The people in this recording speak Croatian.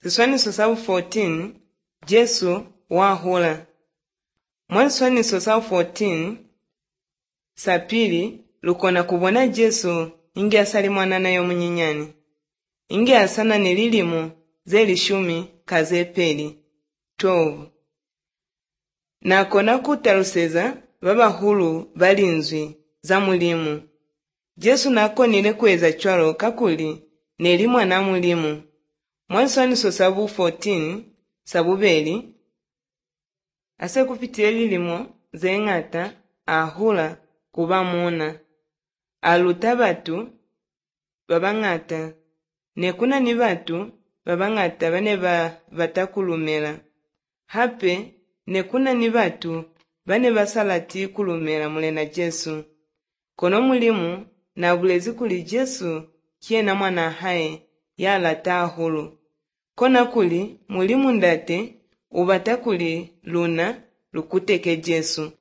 Ziswaniso sabu 14 Jesu wahula. Mwanswaniso sabu 14 sapili lukona kubona Jesu ingi asali mwanana yo munyinyani. Ingi asana nililimu zeli shumi kazepeli 12. Nakona kutaluseza baba hulu balinzwi za mulimu. Jesu nakonile kweza chwalo kakuli nelimwa na mulimu. Mwanswaniso sabu 14 sabubeli ase kupitile lilimo zeng'ata ahula kuba muna aluta batu babang'ata nekuna ni batu babang'ata bane batakulumela hape nekuna ni batu bane basalati kulumela mulena Jesu kono mulimu na bulezi kuli Jesu kiena mwana hae yalata ahulu kona kuli mulimu ndate ubatakuli luna lukuteke Jesu.